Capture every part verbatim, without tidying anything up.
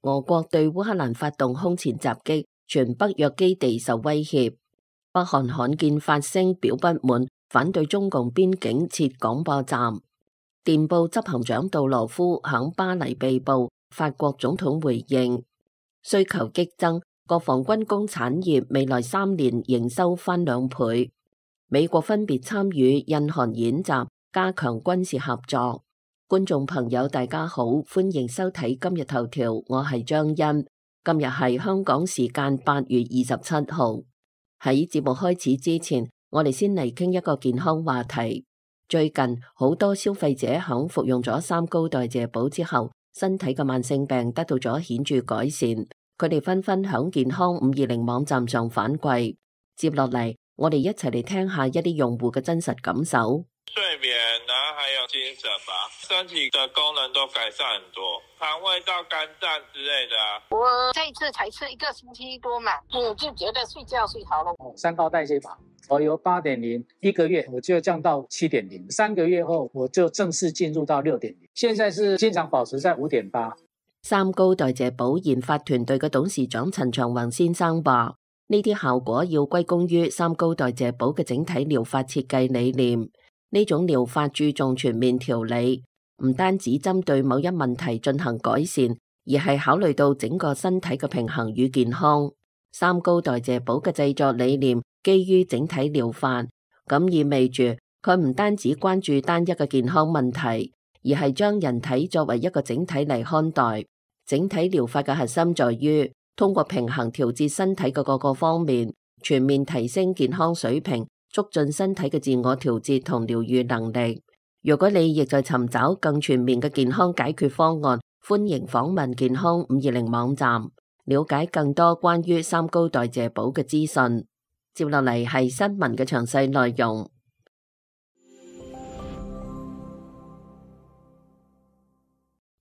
俄國對烏克蘭發動空前襲擊，全北約基地受威脅。北韓罕見發聲表不滿，反對中共邊境設廣播站。電報執行長杜羅夫響巴黎被捕，法國總統回應。需求激增，國防軍工產業未來三年營收翻兩倍。美國分別參與印韓演習，加強軍事合作。觀眾朋友大家好，歡迎收睇今日頭條，我係張欣。今日係香港時間八月二十七號。喺節目開始之前，我哋先嚟傾一個健康話題。最近好多消費者響服用咗三高代謝寶之後，身體嘅慢性病得到咗顯著改善。佢哋紛紛響健康五二零網站上反饋。接落嚟，我哋一齊嚟聽下一啲用戶嘅真實感受。睡眠，然後還有精神吧，身體的功能都改善很多，腸胃道、肝臟之類的啊。我這一次才吃一個星期多嘛，我就覺得睡覺睡好了。三高代謝法，我由八點零一個月我就降到七點零，三個月後我就正式進入到六點零，現在是經常保持在五點八。三高代謝寶研發團隊嘅董事長陳長宏先生話：呢啲效果要歸功於三高代謝寶嘅整體療法設計理念。呢種療法注重全面調理，唔單止針對某一問題進行改善，而係考慮到整個身體嘅平衡與健康。三高代謝寶嘅製作理念基於整體療法，咁意味住佢唔單止關注單一嘅健康問題，而係將人體作為一個整體嚟看待。整體療法嘅核心在於通過平衡調節身體嘅各個方面，全面提升健康水平，促進身體嘅自我調節同療癒能力。如果你亦在尋找更全面嘅健康解決方案，歡迎訪問健康五二零網站，了解更多關於三高代謝寶嘅資訊。接落嚟係新聞嘅詳細內容。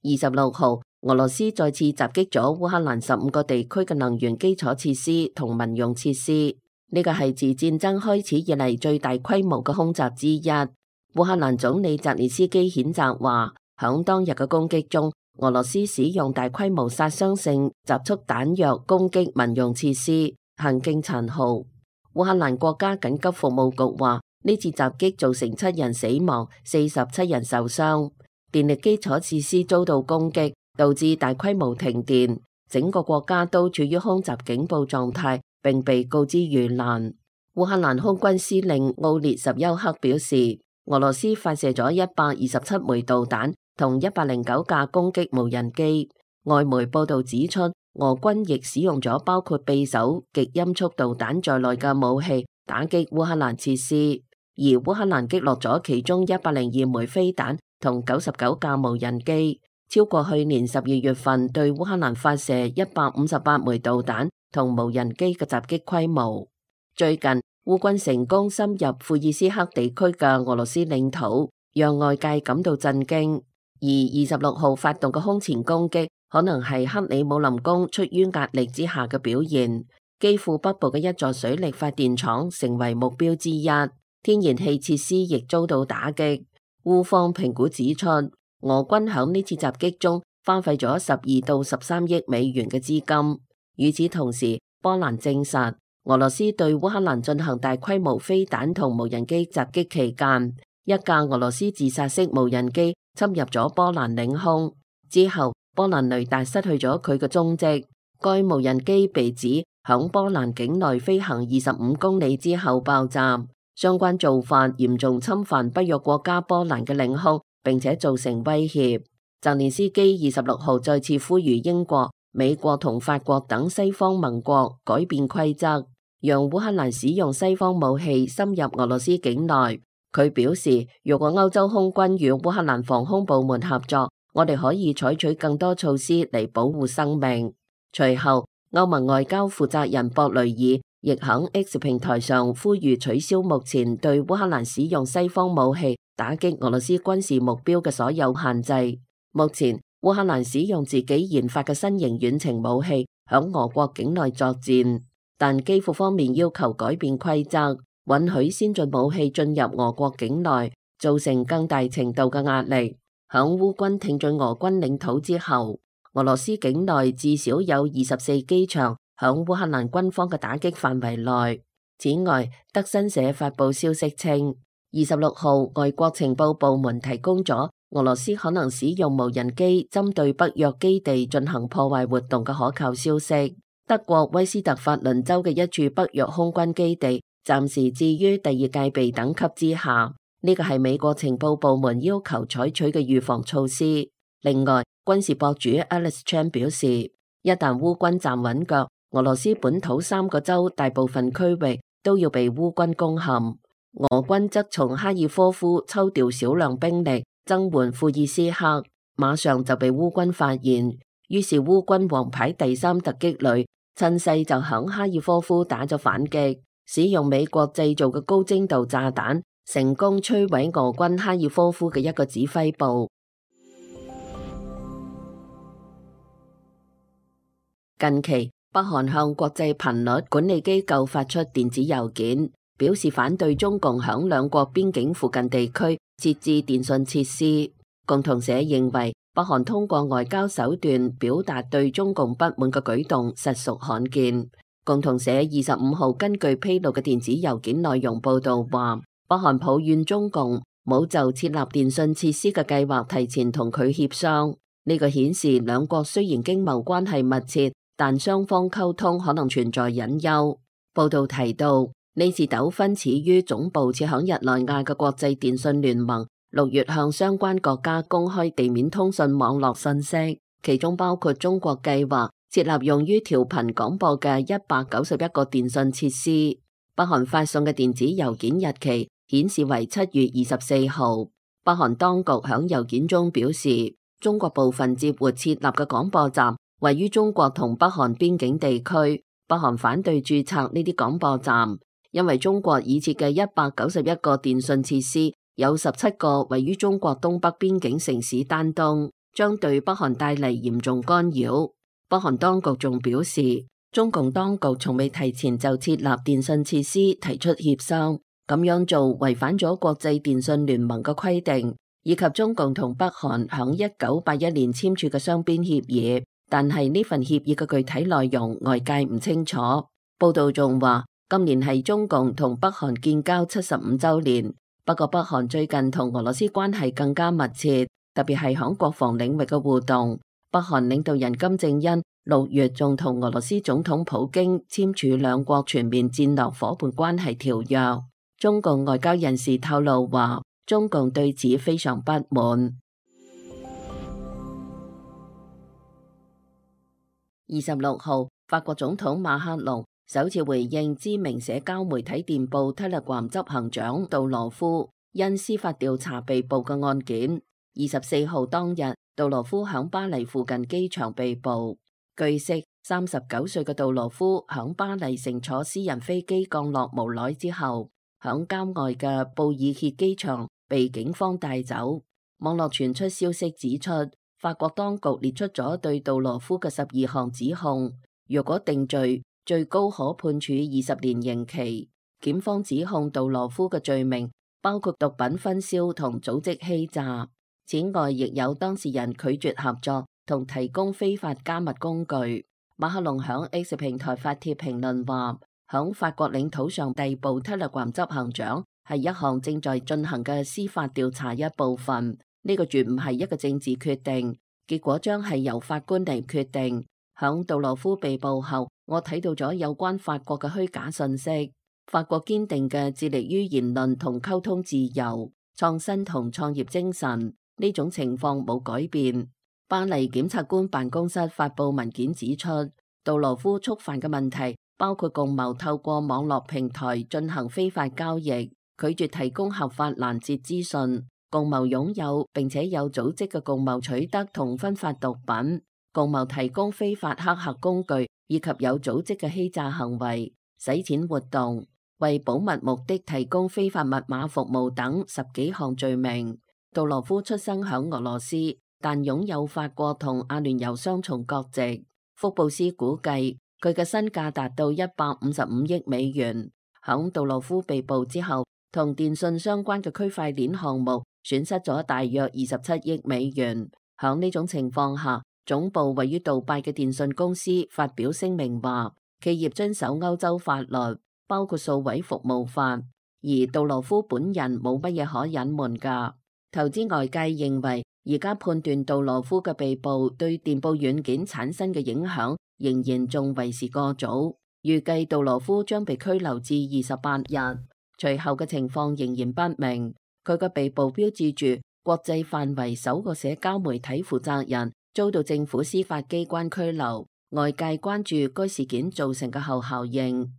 二十六號，俄羅斯再次襲擊咗烏克蘭十五個地區嘅能源基礎設施同民用設施。呢個係自戰爭開始以嚟最大規模嘅空襲之一。烏克蘭總理澤連斯基譴責話，響當日嘅攻擊中，俄羅斯使用大規模殺傷性集束彈藥攻擊民用設施，行徑殘酷。烏克蘭國家緊急服務局話，呢次襲擊造成七人死亡、四十七人受傷。電力基礎設施遭到攻擊，導致大規模停電，整個國家都處於空襲警報狀態，並被告知遇難。烏克蘭空軍司令奧列什丘克表示，俄羅斯發射咗一百二十七枚導彈同一百零九架攻擊無人機。外媒報道指出，俄軍亦使用咗包括匕首極音速導彈在內嘅武器打擊烏克蘭設施，而烏克蘭擊落咗其中一百零二枚飛彈同九十九架無人機，超過去年十二月份對烏克蘭發射一百五十八枚導彈同無人機嘅襲擊規模。最近烏軍成功深入庫爾斯克地區嘅俄羅斯領土，讓外界感到震驚。而二十六號發動嘅空前攻擊，可能係克里姆林宮出於壓力之下嘅表現。基輔北部嘅一座水力發電廠成為目標之一，天然氣設施亦遭到打擊。烏方評估指出，俄軍響呢次襲擊中花費咗十二到十三億美元嘅資金。與此同時，波蘭證實俄羅斯對烏克蘭進行大規模飛彈同無人機襲擊期間，一架俄羅斯自殺式無人機侵入咗波蘭領空之後，波蘭雷達失去咗佢嘅蹤跡。該無人機被指響波蘭境內飛行二十五公里之後爆炸。相關做法嚴重侵犯北約國家波蘭嘅領空，並且造成威脅。澤連斯基二十六號再次呼籲英國、美國同法國等西方盟國改變規則，讓烏克蘭使用西方武器深入俄羅斯境內。佢表示，如果歐洲空軍與烏克蘭防空部門合作，我哋可以採取更多措施嚟保護生命。隨後，歐盟外交負責人博雷爾亦喺 X 平台上呼籲取消目前對烏克蘭使用西方武器打擊俄羅斯軍事目標嘅所有限制。目前，烏克蘭使用自己研發嘅新型遠程武器喺俄國境內作戰，但基輔方面要求改變規則，允許先進武器進入俄國境內，造成更大程度嘅壓力。喺烏軍挺進俄軍領土之後，俄羅斯境內至少有二十四機場響烏克蘭軍方嘅打擊範圍內。此外，德新社發佈消息稱，二十六號外國情報部門提供咗俄羅斯可能使用無人機針對北約基地進行破壞活動嘅可靠消息。德國威斯特法倫州嘅一處北約空軍基地暫時置於第二戒備等級之下，呢個係美國情報部門要求採取嘅預防措施。另外，軍事博主 Alex Chan 表示，一旦烏軍站穩腳，俄羅斯本土三個州大部分區域都要被烏軍攻陷。俄軍則從哈爾科夫抽調少量兵力增援庫爾斯克，馬上就被烏軍發現，於是烏軍王牌第三突擊旅趁勢就響哈爾科夫打咗反擊，使用美國製造嘅高精度炸彈，成功摧毀俄軍哈爾科夫嘅一個指揮部。近期，北韓向國際頻率管理機構發出電子郵件，表示反對中共響兩國邊境附近地區設置電信設施。共同社認為，北韓通過外交手段表達對中共不滿嘅舉動實屬罕見。共同社二十五號根據披露嘅電子郵件內容報道話，北韓抱怨中共冇就設立電信設施嘅計劃提前同佢協商。呢個顯示兩國雖然經貿關係密切，但雙方溝通可能存在隱憂。報道提到，呢次糾紛始於總部設響日內瓦嘅國際電信聯盟六月向相關國家公開地面通訊網絡信息，其中包括中國計劃設立用於調頻廣播嘅一百九十一個電信設施。北韓發送嘅電子郵件日期顯示為七月二十四號。北韓當局響郵件中表示，中國部分接活設立嘅廣播站位於中國同北韓邊境地區，北韓反對註冊呢啲廣播站，因為中國已設嘅一百九十一個電信設施，有十七個位於中國東北邊境城市丹東，將對北韓帶嚟嚴重干擾。北韓當局仲表示，中共當局從未提前就設立電信設施提出協商，咁樣做違反咗國際電信聯盟嘅規定，以及中共同北韓響一九八一年簽署嘅雙邊協議。但係呢份協議嘅具體內容外界唔清楚。報道仲話，今年係中共同北韓建交七十五週年。不過北韓最近同俄羅斯關係更加密切，特別係響國防領域嘅互動。北韓領導人金正恩六月仲同俄羅斯總統普京簽署兩國全面戰略夥伴關係條約。中共外交人士透露話，中共對此非常不滿。二十六號，法國總統馬克龍首次回應知名社交媒體電報 Telegram 執行長杜羅夫因司法調查被捕嘅案件。二十四號當日，杜羅夫響巴黎附近機場被捕。據悉，三十九歲嘅杜羅夫響巴黎乘坐私人飛機降落無耐之後，響郊外嘅布爾歇機場被警方帶走。網絡傳出消息指出，法國當局列出咗對杜羅夫嘅十二項指控，若果定罪，最高可判處二十年刑期。檢方指控杜羅夫嘅罪名包括毒品分銷同組織欺詐。此外，亦有當事人拒絕合作同提供非法加密工具。馬克龍響 X 平台發帖評論話，響法國領土上逮捕 Telegram 執行長係一項正在進行嘅司法調查一部分。呢個絕唔係一個政治決定，結果將係由法官嚟決定。響杜羅夫被捕後，我睇到咗有關法國嘅虛假信息。法國堅定嘅致力於言論同溝通自由、創新同創業精神，呢種情況冇改變。巴黎檢察官辦公室發佈文件指出，杜羅夫觸犯嘅問題包括共謀透過網絡平台進行非法交易，拒絕提供合法攔截資訊，共謀擁有並且有組織嘅共謀取得同分發毒品，共謀提供非法黑客工具，以及有組織嘅欺詐行為、洗錢活動、為保密目的提供非法密碼服務等十幾項罪名。杜羅夫出生響俄羅斯，但擁有法國同阿聯酋雙重國籍。福布斯估計佢嘅身價達到一百五十五億美元。響杜羅夫被捕之後，同電信相關嘅區塊鏈項目損失咗大約二十七億美元。響呢種情況下，總部位於杜拜嘅電信公司發表聲明話，企業遵守歐洲法律，包括數位服務法，而杜羅夫本人冇乜嘢可隱瞞㗎。投資外界認為，而家判斷杜羅夫嘅被捕對電報軟件產生嘅影響，仍然仲為時過早。預計杜羅夫將被拘留至二十八日，隨後嘅情況仍然不明。佢嘅被捕標誌住國際範圍首個社交媒體負責人遭到政府司法機關拘留，外界關注該事件造成嘅後效應。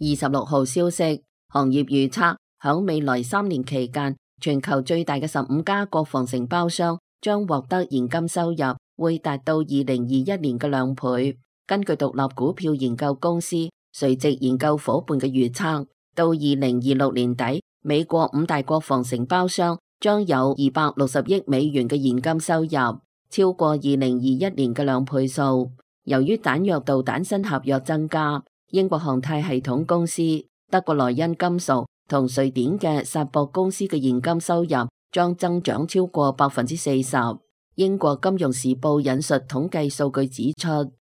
二十六號消息，行業預測響未來三年期間，全球最大嘅十五家國防承包商將獲得現金收入會達到二零二一年嘅兩倍。根據獨立股票研究公司垂直研究夥伴嘅預測，到二零二六年底，美國五大國防承包商將有二百六十億美元嘅現金收入，超過二零二一年嘅兩倍數。由於彈藥導彈新合約增加，英國航太系統公司、德國萊茵金屬同瑞典嘅薩博公司嘅現金收入將增長超過百分之四十。英國金融時報引述統計數據指出，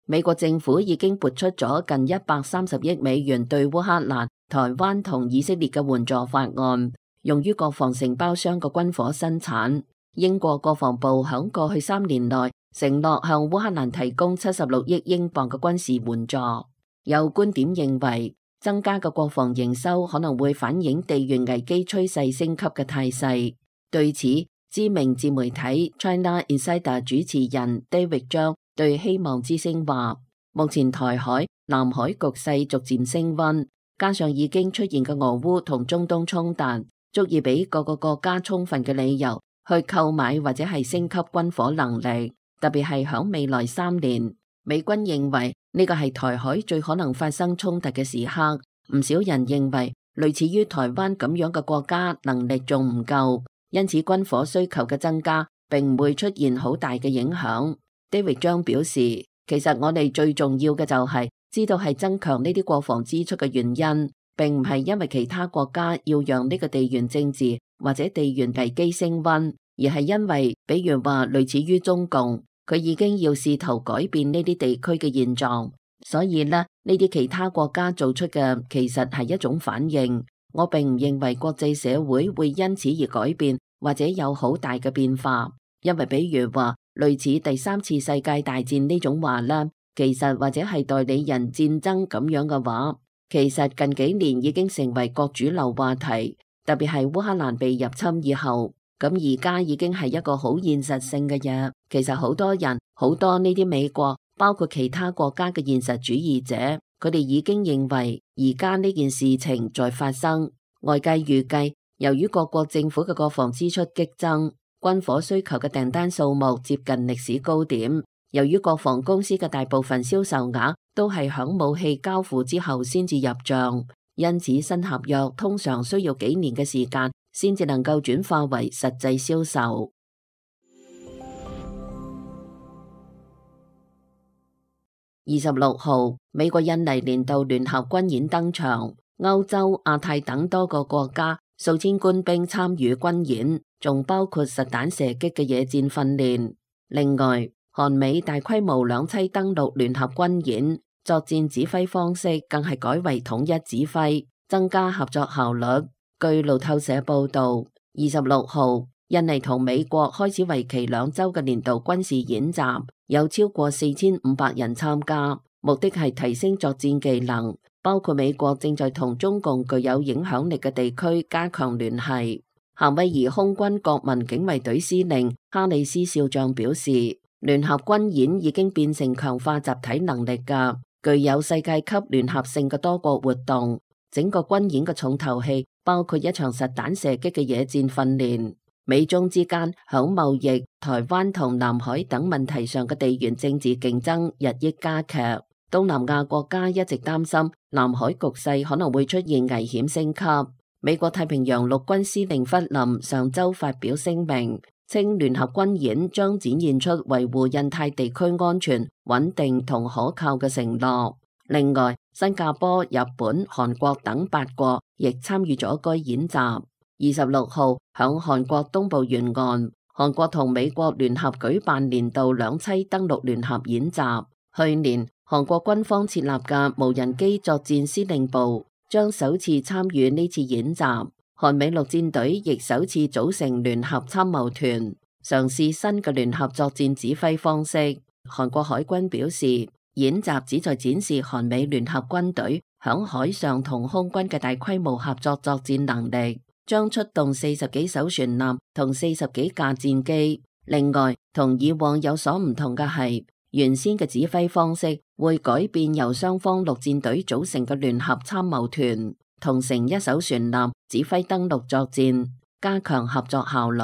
美國政府已經撥出咗近一百三十億美元對烏克蘭、台灣同以色列嘅援助法案，用於國防承包商嘅軍火生產。英國國防部響過去三年內承諾向烏克蘭提供七十六億英鎊嘅軍事援助。有觀點認為，增加嘅國防營收可能會反映地緣危機趨勢升級嘅態勢。對此，知名自媒體 China Insider 主持人 David 張對希望之聲話，目前台海、南海局勢逐漸升溫，加上已經出現嘅俄烏同中東衝突，足以俾各個國家充分嘅理由去購買或者係升級軍火能力，特別係響未來三年。美軍認為呢個係台海最可能發生衝突嘅時刻，唔少人認為類似於台灣咁樣嘅國家能力仲唔夠，因此軍火需求嘅增加並唔會出現好大嘅影響。David 張表示，其實我哋最重要嘅就係知道係增強呢啲國防支出嘅原因，並唔係因為其他國家要讓呢個地緣政治或者地緣危機升溫，而係因為比如話類似於中共，佢已經要試圖改變呢啲地區嘅現狀，所以呢，呢啲其他國家做出嘅其實係一種反應。我並唔認為國際社會會因此而改變或者有好大嘅變化，因為比如話類似第三次世界大戰呢種話呢，其實或者係代理人戰爭咁樣嘅話，其實近幾年已經成為國主流話題，特別係烏克蘭被入侵以後。咁而家已經係一個好現實性嘅嘢，其實好多人，好多呢啲美國，包括其他國家嘅現實主義者，佢哋已經認為而家呢件事情在發生。外界預計，由於各國政府嘅國防支出激增，軍火需求嘅訂單數目接近歷史高點。由於國防公司嘅大部分銷售額都係響武器交付之後先至入賬，因此新合約通常需要幾年嘅時間先至能夠轉化為實際銷售。二十六號，美國印尼年度聯合軍演登場，歐洲、亞太等多個國家數千官兵參與軍演，仲包括實彈射擊嘅野戰訓練。另外，韓美大規模兩棲登陸聯合軍演，作戰指揮方式更係改為統一指揮，增加合作效率。據路透社報道，二十六號，印尼同美國開始為期兩週嘅年度軍事演習，有超過四千五百人參加，目的係提升作戰技能。包括美國正在同中共具有影響力嘅地區加強聯繫。夏威夷空軍國民警衛隊司令哈里斯少將表示，聯合軍演已經變成強化集體能力嘅具有世界級聯合性嘅多國活動。整個軍演嘅重頭戲包括一場實彈射擊嘅野戰訓練。美中之間響貿易、台灣同南海等問題上嘅地緣政治競爭日益加劇。東南亞國家一直擔心南海局勢可能會出現危險升級。美國太平洋陸軍司令弗林上週發表聲明，稱聯合軍演將展現出維護印太地區安全、穩定同可靠嘅承諾。另外，新加坡、日本、韓國等八國亦參與咗該演習。二十六號響韓國東部沿岸，韓國同美國聯合舉辦年度兩棲登陸聯合演習。去年，韓國軍方設立嘅無人機作戰司令部將首次參與呢次演習，韓美陸戰隊亦首次組成聯合參謀團，嘗試新嘅聯合作戰指揮方式。韓國海軍表示，演習旨在展示韓美聯合軍隊響海上同空軍嘅大規模合作作戰能力，將出動四十幾艘船艦同四十幾架戰機。另外，同以往有所唔同嘅係，原先嘅指揮方式會改變，由雙方陸戰隊組成嘅聯合參謀團同乘一艘船艦指揮登陸作戰，加強合作效率。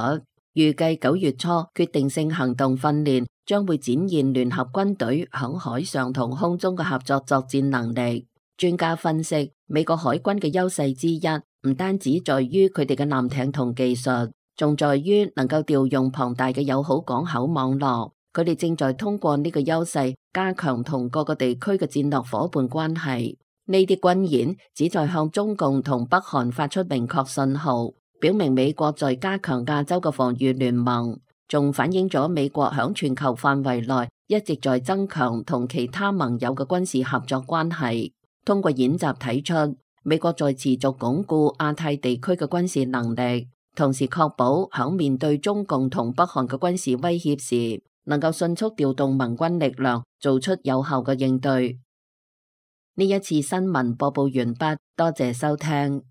預計九月初決定性行動訓練將會展現聯合軍隊響海上同空中嘅合作作戰能力。專家分析，美國海軍嘅優勢之一唔單止在於佢哋嘅艦艇同技術，仲在於能夠調用龐大嘅友好港口網絡。佢哋正在通過呢個優勢加強同各個地區嘅戰略夥伴關係。呢啲軍演旨在向中共同北韓發出明確信號，表明美國在加強亞洲嘅防禦聯盟，仲反映咗美國響全球範圍內一直在增強同其他盟友嘅軍事合作關係。通過演習睇出，美國在持續鞏固亞太地區嘅軍事能力，同時確保響面對中共同北韓嘅軍事威脅時，能夠迅速調動盟軍力量，做出有效嘅應對。呢一次新聞播報完畢，多謝收聽。